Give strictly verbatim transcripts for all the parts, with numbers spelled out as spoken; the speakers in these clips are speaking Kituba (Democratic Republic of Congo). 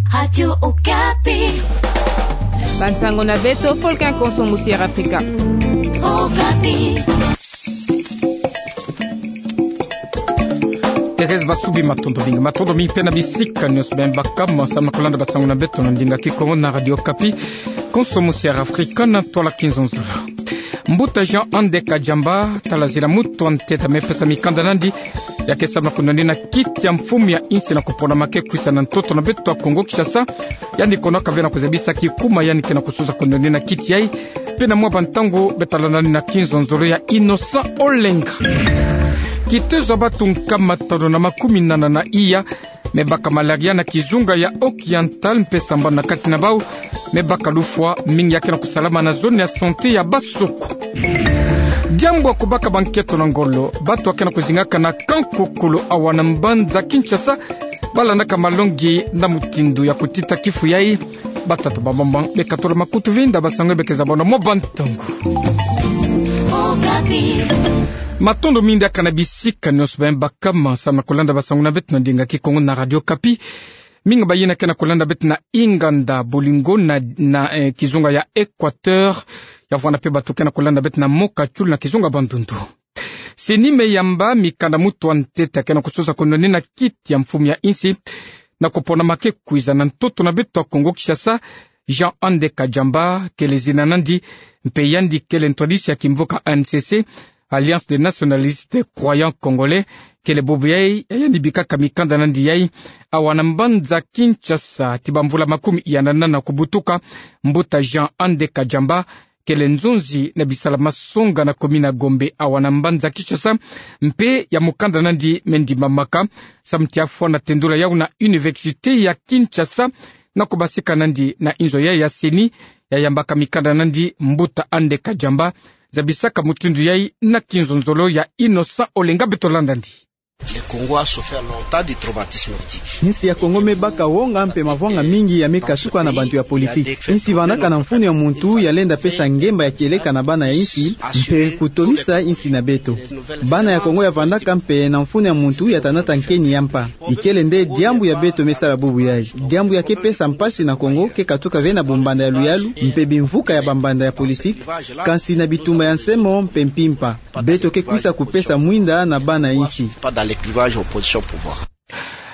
Radio Okapi. Bansango na beto, Volcan Konso Musier Afrika. Okapi. Thérèse Basubi, matondo mingi. Matondo mingi mpe na bisika nyonso beno baka, samu na kulanda bansango na beto na ndinga Kikongo na Radio Okapi. Konso Musier Afrika na ntwala Kinzonzolo. Mbuta Jean Andé Kadiamba, talazila mutu wa ntete amepesa mikanda nandi, ya ke samu na kunwanina kiti ya mfumu ya insi na kupona ma ke kwisa na ntoto na beto ya Kongo Kinshasa. Yandi konaka ve na kuzabisa kikuma yandi ke na kusuza kunwanina kiti yayi. Mpe na mwa bantangu beto talanda nani na Kinzonzolo ya Innocent Olenga. Kitezo ya batu nkama tanu na makumi nana na iya me baka malaria na kizunga ya Occidental mpe sambanu na kati na bau me baka lufwa mingi ya ke na kusalama na zone ya santé ya Basoko. Diambu ya kubaka banketo na ngolo, batu ya ke na kuzingaka na Kankokolo awa na mbanza Kinshasa, balandaka malongi na mutindu ya kutita kifu yayi. Batata, bamama, bekatula makutu, vanda bansango ya beke zabona mwa bantangu. Matondo mingi diaka na bisika nyonso beno baka, samu na kulanda bansango na beto na ndinga Kikongo na Radio Okapi. Mingi bayina ke na kulanda beto na inganda Bolingo na, na, eh, kizunga ya Équateur, ya vwanda mpe batu ke na kulanda beto na Mont-Katchoul na kizunga Bandundu. CENI me yamba mikanda mutu wa ntete ke na kusuza kunwanina kiti ya mfumu ya insi na kupona ma ke kwiza na ntoto na beto ya Kongo Kinshasa, Jean Andé Kadiamba kele zina nandi, mpe yandi kele ntwadisi ya kimvuka A N C C, Alliance des Nationalistes Croyants Congolais. Kele bubu yayi ya yandi bikaka mikanda nandi yayi awa na mbanza Kinshasa ti bamvula makumi iya na nana kubutuka. Mbuta Jean Andé Kadiamba kele nzonzi na bisalu masonga na commune ya Gombe awa na mbanza Kinshasa, mpe ya mukanda nandi me ndimamaka samu ti afwana tendula yau na Université ya Kinshasa. Na kubasika nandi na inzo yayi ya CENI, ya yambaka mikanda nandi, Mbuta Andé Kadiamba zabisaka mutindu yayi na Kinzonzolo ya Innocent Olenga, beto landa nandi. Le Congo a souffert longtemps du traumatisme politique. Insi ya Kongo me baka wonga mpe mavwanga mingi ya me kasuka na bantu ya politiki. Insi vandaka na mfunu ya muntu ya lenda pesa ngemba ya kieleka na bana ya insi, mpe kutomisa insi na beto. Bana ya Kongo ya vandaka mpe na mfunu ya muntu ya tanata nkeni ya mpa. Ikele nde diambu ya beto me sala bubu yayi. Diambu ya ke pesa mpasi na Kongo ke katuka ve na bumbanda ya luyalu, mpe bimvuka ya bambanda ya politiki, kansi na bitumba ya nsemo mpe mpimpa. Beto ke kwisa kupesa mwinda na bana insi. Pas dans le clivage opposition pouvoir.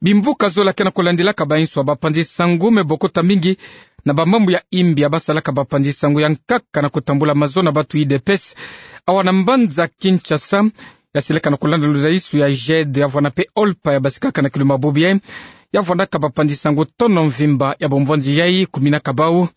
Bimvuka zola ke na kulandilaka bainso ya bapanzi sango me bokota mingi na bamambu ya imbi ya basalaka bapanzi sango ya nkaka na kutambula mazo na batu, U D P S, awa na mbanza Kinshasa. Ya silaka na kulanda luzaisu ya G E D ya vwanda mpe OLPA ya basikaka na kilumbu bubu yayi, ya vwandaka bapanzi sango tono mvimba ya bomvonzi yayi kuminaka bau.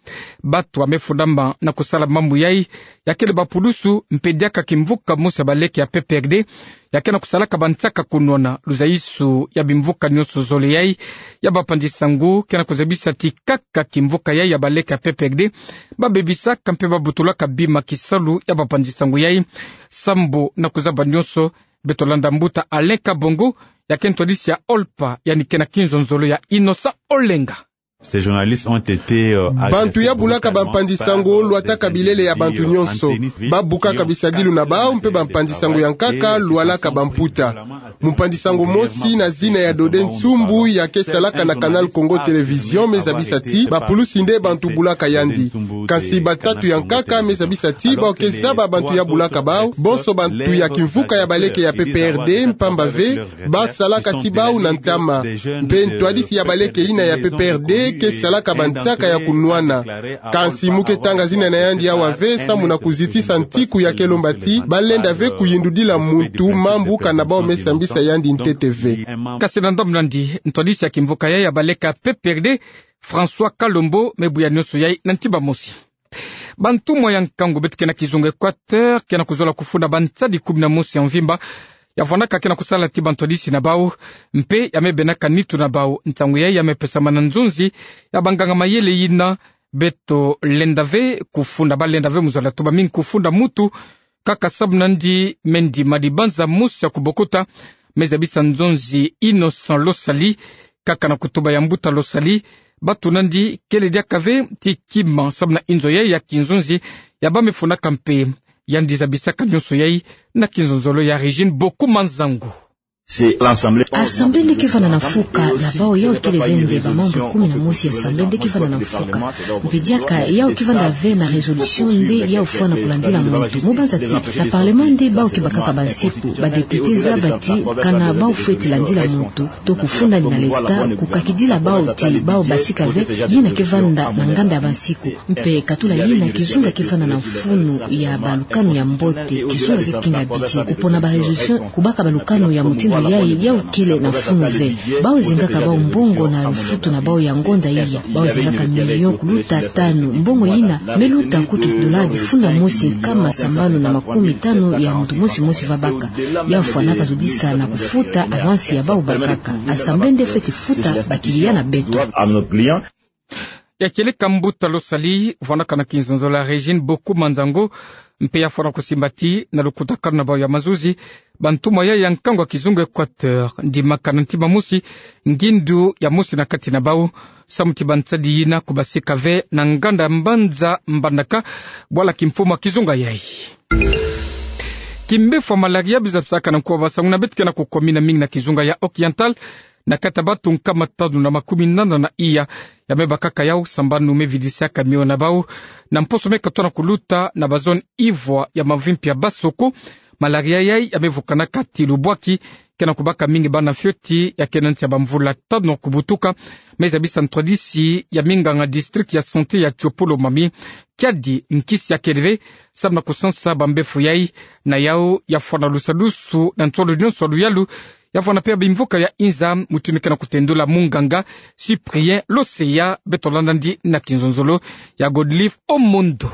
Batu ya me fundama na kusala mambu yayi ya kele bapulusu mpe diaka kimvuka mosi ya baleke ya P P R D ya ke na kusalaka bansaka kunwana. Luzaisu ya bimvuka nyonso zole yayi ya bapanzi sango ke na kuzabisa ti kaka kimvuka yayi ya baleke ya P P R D babebisaka mpe babutulaka bima kisalu ya bapanzi sango yayi. Sambu na kuzaba nyonso, beto landa mbuta Alain Kabongo, ya ke ntwadisi ya OLPA, yandi ke na Kinzonzolo ya Innocent Olenga. Ces journalistes ont été, euh, arrêtés brutalement par, euh, des individus, euh, anténistes. Bantu ya bulaka bampanzi sango lwataka bilele ya bantu nyonso. Babukaka bisadilu na bau mpe bampanzi sango ya nkaka lwalaka bamputa. Mpanzi sango mosi na zina ya Dodé Nsumbu ya ke salaka na Canal Congo Télévision me zabisa ti bapulusi nde bantu bulaka yandi. Kansi batatu ya nkaka me zabisa ti bau ke zaba bantu ya bulaka bau, bonso bantu ya kimvuka ya baleke ya P P R D, mpamba ve basalaka ti bau na ntama. Mpe ntwadisi ya baleke yina ya P P R D ke salaka bansaka ya kunwana. Kansi mu ke tanga zina na yandi awa ve, sambu na kuzitisa ntiku ya ke lomba ti balenda ve kuyindudila muntu mambu kana bau me sambisa yandi ntete ve. Kasi na ndambu nandi, ntwadisi ya kimvuka yayi ya baleke ya P P R D, François Kalombo, me buya nyonso yayi na ntimba mosi. Bantumwa ya nkangu beto ke na kizunga Équateur ke na kuzola kufunda bansadi kumi na mosi ya mvimba ya vwandaka ke na kusala ti bantwadisi na bau, mpe ya me bendaka nitu na bau. Nsangu yayi ya me pesama na nzonzi ya banganga mayele yina. Beto lenda ve kufunda, balenda ve mu zola tuba mingi kufunda mutu, kaka sambu nandi me ndima dibanza mosi ya kubokota, me zabisa nzonzi Innocent Losali, kaka na kutuba ya mbuta Losali, batu nandi kele diaka ve ti kima sambu na inzo yayi ya kinzonzi ya bau me fundaka mpe yandi zabisaka nyonso yayi na kinzonzolo ya Régine Boku Manzangu. Assemblée nde ke vanda na mfuka, na bau yau kele ve nde bamembre kumi na mosi ya Assemblée nde ke vanda na mfuka. Mpe diaka yau ke vanda ve na résolution nde yau fwana kulandila muntu. Mu banza ti na Parlement nde bau ke bakaka bansiku, badéputé zaba ti kana bau fweti landila muntu, to kufundani na leta, kukakidila bau ti bau basika ve yina ke vanda na nganda ya bansiku. Mpe katula yina, kizunga ke vanda na mfunu ya balukanu ya mbote, kizunga ke kinga budget, kupona ba résolution, kubaka balukanu ya mutindu yayi, yau kele na mfunu ve. Bau zengaka bau mbongo na lufutu na bau ya ngonda iya, bau zengaka million kuluta tanu, mbongo yina me luta kutu dola difunda mosi nkama sambanu na makumi tanu ya muntu mosi mosi va baka. Yau fwanaka zodisa na kufuta avance ya bau bakaka. Assemblée nde fweti futa bakiliya na beto. Ya kieleka mbuta losali, vwanaka na kinzonzolo ya Régine Boku Manzango, mpe ya fwana kusimba ti na lukutakanu na bau ya mazuzi, bantumwa yayi ya nkangu ya kizunga Équateur, ndimaka na ntima mosi ngindu ya mosi na kati na bau, samu ti bansadi yina kubasika ve na nganda ya mbanza Mbandaka, bwala kimfumu ya kizunga yayi. Kimbevo ya malaria bizabisaka na nkuwa basangu na beto ke na kukomina mingi na kizunga ya Occidental, na kati ya bato nkama tanu na makumi nana na iya ya me bakaka yau sambanu me vidisaka mio na bau, na mposo me katona kuluta na ba zone ivwa ya mavimpi ya Basoko. Malaria yayi ya me vukanaka ti lubwaki, ke na kubaka mingi bana fioti ya ke na nsi ya bamvula tanu kubutuka. Me zabisa ntwadisi ya minganga district ya santé ya Tshopo-Lomami, kiadi nkisi ya kele ve, samu na kusansa bambevo yayi. Na yau ya fwana lusadusu na nswalu nyonso ya luyalu, ya fwana mpe bimvuka ya inza, mutindu ke na kutendula munganga Cyprien Loseya. Beto landa ndi na kinzonzolo ya Godlive Omondo.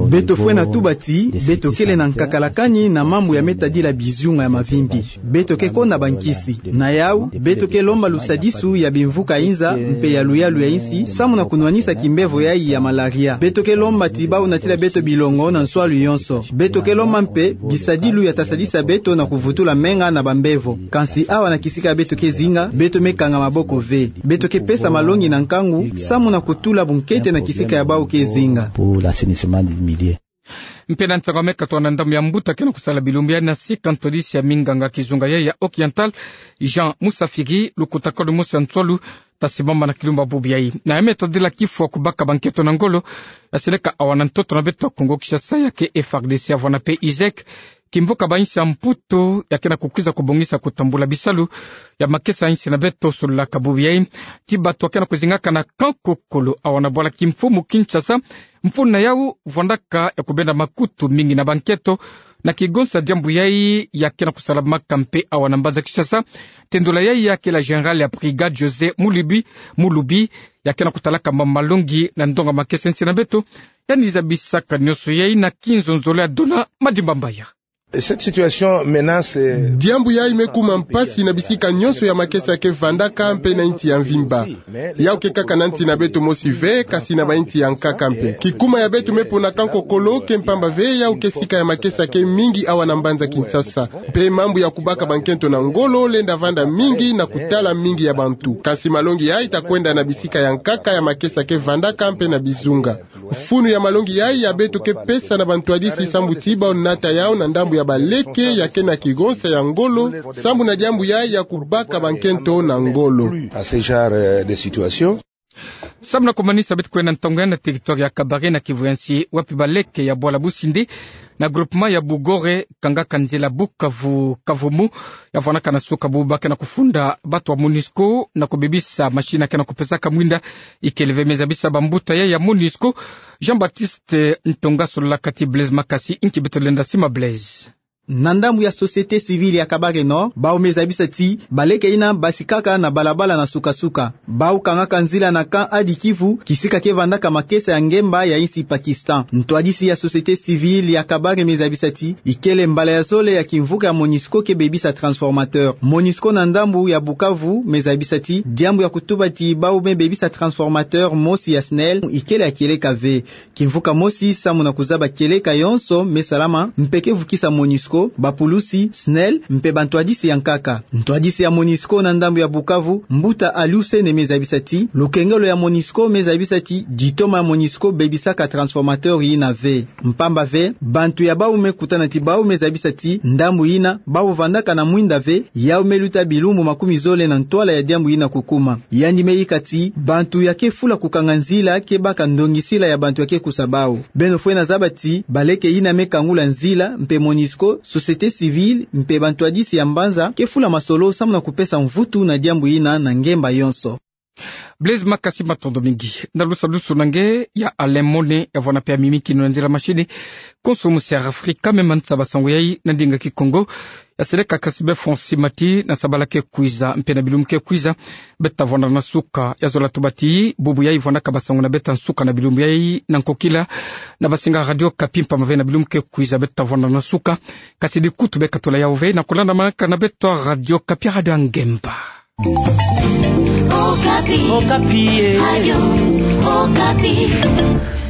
Beto fwena tuba ti beto kele na nkakalakani na mambu ya me tadila bizunga ya mavimpi. Beto ke konda bankisi. Na yau, beto ke lomba lusadisu ya bimvuka inza mpe ya luyalu ya insi, samu na kunwanisa kimbevo yayi ya malaria. Beto ke lomba ti bau natila beto bilongo na nswalu yonso. Beto ke lomba mpe bisadilu ya ta sadisa beto na kuvutula menga na bambevo. Kansi awa na kisika ya beto ke zinga, beto me kanga maboko ve. Beto ke pesa malongi na nkangu, samu na kutula bunkete na kisika ya bau ke zinga. Mpe na nsangu me katona, ndambu ya mbuta ke na kusala bilumbu ya nasika ntwadisi ya minganga kizunga yayi ya Occidental, Jean Musafiri, lukutakanu mosi ya nswalu ta simbama na kilumbu bubu yayi. Na ya me tadila kifwa kubaka bankento na ngolo, ya seleka awa na ntoto na beto Kongo Kinshasa, ya ke F R D C, ya vwana mpe ISEC, kimvuka ba insi ya Mputu, ya ke na kukwiza kubongisa kutambula bisalu ya makesa ya insi na beto solulaka bubu yayi. Ti bato ya ke na kuzingaka na Kankokolo, awa na bwala kimfumu Kinshasa, mfunu na yau vwandaka ya kubenda makutu mingi na bankento, na kigonsa diambu yayi ya ke na kusalamaka mpe awa na mbanza Kinshasa. Tendula yayi ya ke la général ya brigade José Mulubi, Mulubi, ya ke na kutalaka mambu malongi na ndonga makesa ya insi na beto. Yandi zabisaka nyonso yayi na kinzonzolo ya Dona Madimba Mbaya. Cette situation menace, euh, Diambu yayi me kuma mpasi na bisika nyonso ya makesa ke vandaka mpe na insi ya mvimba. Yau ke kaka na insi na beto mosi ve, kasi na ba insi ya nkaka mpe. Kikuma ya beto me pona Kankokolo ke mpamba ve, yau ke sika ya makesa ke mingi awa na mbanza Kinshasa. Mpe mambu ya kubaka bankento na ngolo lenda vanda mingi na kutala mingi ya bantu. Kasi malongi yayi ta kwenda na bisika ya nkaka ya makesa ke vandaka mpe na bizunga. Mfunu ya malongi yayi ya beto ke pesa na bantwadisi sambu ti bau nata yau na ndambu ya baleke ya ke na kigonsa ya ngolo, sambu na diambu yayi ya kubaka bankento na ngolo. À ce genre, euh, de situation. Sambu na kumanisa, beto kwenda ntonga na territoire ya Kabare na Kivu ya nsi, wapi baleke ya bwala Busindi na groupement ya Bugore, kangaka nzila Bukavu Kavumu, ya vwanaka na suka bubu ba ke na kufunda bato ya MONUSCO na kubebisa machine ya ke na kupesaka mwinda. Ikele ve me zabisa bambuta yayi ya MONUSCO. Jean-Baptiste Ntonga sololaka ti Blaise Makasi, nki beto lenda sima Blaise. Na ndambu ya société civile ya Kabare Nord, bau me zabisa ti baleke yina basikaka na balabala na suka-suka. Bau kangaka nzila na Camp Hadi-Kivu, kisika ke vandaka makesa ya ngemba ya insi Pakistan. Ntwadisi ya société civile ya Kabare me zabisa ti ikele mbala ya zole ya kimvuka ya MONUSCO ke bebisa transformateur. MONUSCO na ndambu ya Bukavu me zabisa ti diambu ya kutuba ti bau me bebisa transformateur mosi ya SNEL ikele ya kieleka ve. Kimvuka mosi samu na kuzaba kieleka yonso me salama mpe ke vukisa MONUSCO. bapulusi, SNEL, mpe bantwadisi ya nkaka. Ntwadisi ya MONUSCO na ndambu ya Bukavu, mbuta Aliou Sané, me zabisa ti lukengelo ya MONUSCO me zabisa ti ditoma ya MONUSCO bebisaka transformateur yina ve. Mpamba ve, bantu ya bau me kutana ti bau me zabisa ti ndambu yina bau vandaka na mwinda ve, yau me luta bilumbu makumi zole na ntwala ya diambu yina kukuma. Yandi me yika ti bantu ya ke fula kukanga nzila ke baka ndongisila ya bantu ya ke kusa bau. Beno fwene zaba ti baleke yina me kangula nzila mpe MONUSCO, société civile mpe bantwadisi ya mbanza ke fula masolo samu na kupesa mvutu na diambu yina na ngemba yonso. Blaise Makasi, matondo mingi. Na lusadusu na nge ya Alain Mone, ya vwanda mpe ya mimikino na nzila mashini, konso musi ya Afrika, me manisa basango yai na ndinga Kikongo. Ya seleka kasi be François Mati na sabala ke kwiza, mpe na bilumbu ke kwiza, beta vwanda na suka. Ya zola tuba ti bubu yai vwandaka basango na beta nsuka na bilumbu yai na nkokila, na basinga Radio Okapi, mpamba ve na bilumbu ke kwiza beta vwanda na suka. Kasi di kutu beka tula yau ve na kulandamanaka na beto Radio Okapi, radio ya ngemba. Okapi. Okapi, eh. Radio Okapi.